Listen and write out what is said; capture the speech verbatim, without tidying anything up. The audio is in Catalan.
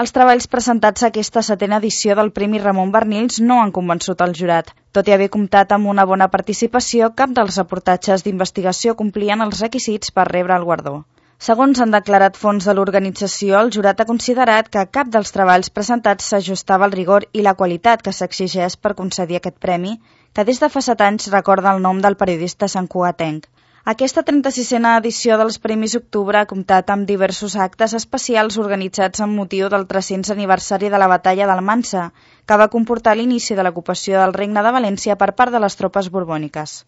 Els treballs presentats a aquesta setena edició del Premi Ramon Barnils no han convençut el jurat. Tot i haver comptat amb una bona participació, cap dels reportatges d'investigació complien els requisits per rebre el guardó. Segons han declarat fonts de l'organització, el jurat ha considerat que cap dels treballs presentats s'ajustava al rigor i la qualitat que s'exigeix per concedir aquest premi, que des de fa set anys recorda el nom del periodista santcugatenc. Aquesta trenta-sisena edició dels Premis Octubre ha comptat amb diversos actes especials organitzats amb motiu del tres-cents aniversari de la batalla d'Almansa, que va comportar l'inici de l'ocupació del Regne de València per part de les tropes borbòniques.